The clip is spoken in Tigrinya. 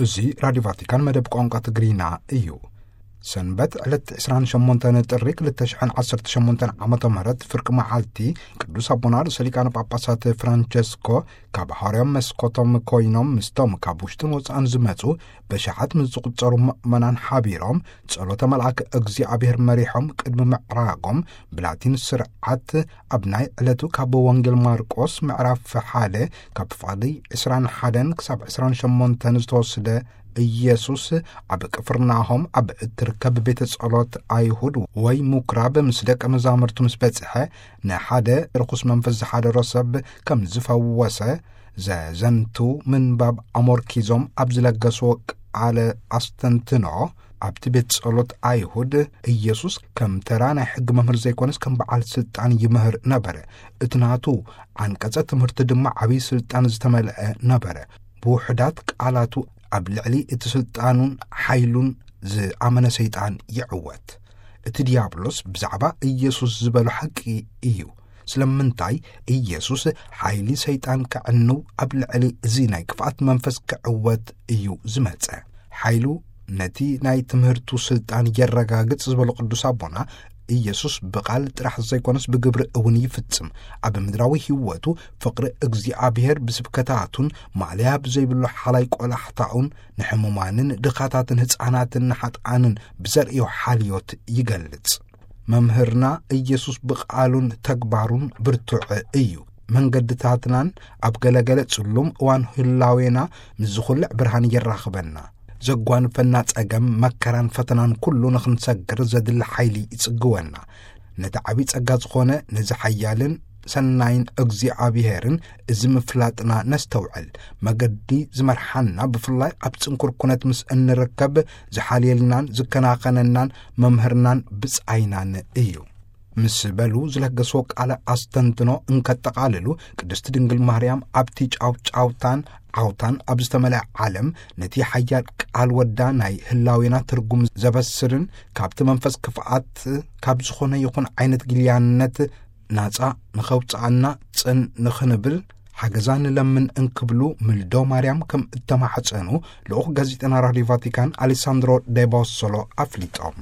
እዚ ራዲዮ ቫቲካን መደብ ቋንቋ ትግርኛ እዩ። ሰንበት ዕለት ዕስራን ሸሞንተን ጥሪ ክልተ ሽሕን ዓሰርተ ሸሞንተን ዓመተ ምህረት ፍርቂ መዓልቲ ቅዱስ ኣቦና ርእሰ ሊቃነ ጳጳሳት ፍራንቸስኮ ካብ ሃዋርያዊ መስኮቶም ኮይኖም ምስቶም ካብ ውሽጥን ወጻእን ዝመጹ በሽሓት ምስ ዝቑጸሩ ምእመናን ሓቢሮም ጸሎተ መልኣክ እግዚኣብሔር መሪሖም ቅድሚ ምዕራጎም ብላቲን ስርዓት ኣብ ናይ ዕለቱ ካብ ወንጌል ማርቆስ ምዕራፍ ሓደ ካብ ፍቓዲ ዕስራን ሓደን ክሳብ ዕስራን ሸሞንተን ዝተወስደ ኢየሱስ ኣብ ቅፍርናሆም ኣብ እትርከብ ቤተ ጸሎት ኣይሁድ ወይ ምኩራብ ምስ ደቀ መዛሙርቱ ምስ በጽሐ ንሓደ ርኹስ መንፈስ ዝሓደሮ ሰብ ከም ዝፈወሰ ዘዘንቱ ምንባብ ኣሞርኪዞም ኣብ ዝለገስዎ ቃለ ኣስተንትኖ ኣብቲ ቤት ጸሎት ኣይሁድ ኢየሱስ ከም ተራ ናይ ሕጊ መምህር ዘይኮነስ ከም በዓል ስልጣን ይምህር ነበረ። እቲ ናቱ ዓንቀጸ ትምህርቲ ድማ ዓብዪ ስልጣን ዝተመልአ ነበረ። ብውሑዳት ቃላቱ ኣብ ልዕሊ እቲ ስልጣኑን ሓይሉን ዝኣመነ ሰይጣን ይዕወት። እቲ ዲያብሎስ ብዛዕባ ኢየሱስ ዝበሎ ሓቂ እዩ። ስለምንታይ ኢየሱስ ሓይሊ ሰይጣን ከዕንው ኣብ ልዕሊ እዚ ናይ ክፍኣት መንፈስ ክዕወት እዩ ዝመጸ። ሓይሉ ነቲ ናይ ትምህርቱ ስልጣን የረጋግጽ ዝበሉ ቅዱስ ኣቦና ኢየሱስ ብቓል ጥራሕ ዘይኮነስ ብግብሪ እውን ይፍጽም። ኣብ ምድራዊ ህይወቱ ፍቕሪ እግዚኣብሔር ብስብከታቱን ማእለያ ብዘይብሉ ሓላይ ቆላሕታኡን ንሕሙማንን ድኻታትን ህፃናትን ንሓጥኣንን ብዘርእዮ ሓልዮት ይገልጽ። መምህርና ኢየሱስ ብቓሉን ተግባሩን ብርቱዕ እዩ። መንገድታትናን ኣብ ገለገለ ጽሉም እዋን ህላዌና ምስ ዝኹልዕ ብርሃን የራኽበና። ዘጓንፈና ጸገም፣ መከራን ፈተናን ኩሉ ንኽንሰግር ዘድሊ ሓይሊ ይጽግወና። ነቲ ዓብዪ ጸጋ ዝኾነ ነዚ ሓያልን ሰናይን እግዚኣብሔርን እዚ ምፍላጥና ነስተውዕል። መገዲ ዝመርሓና ብፍላይ ኣብ ጽንኩር ኩነት ምስ እንርከብ ዝሓልየልናን ዝከናኸነናን መምህርናን ብጻይናን እዩ። ምስ በሉ ዝለገስዎ ቃለ ኣስተንትኖ እንከጠቓልሉ ቅድስቲ ድንግል ማርያም ኣብቲ ጫውጫውታን ዓውታን ኣብ ዝተመልአ ዓለም ነቲ ሓያል ቃል ወዳ ናይ ህላዌና ትርጉም ዘበስርን ካብቲ መንፈስ ክፍኣት ካብ ዝኾነ ይኹን ዓይነት ጊልያነት ናጻ ንኸውጽኣና ጽን ንኽንብል ሓገዛ ንለምን እንክብሉ ምልዶ ማርያም ከም እተማሕጸኑ ልኡኽ ጋዜጠና ራዲዮ ቫቲካን ኣሌሳንድሮ ዴቦሶሎ ኣፍሊጦም።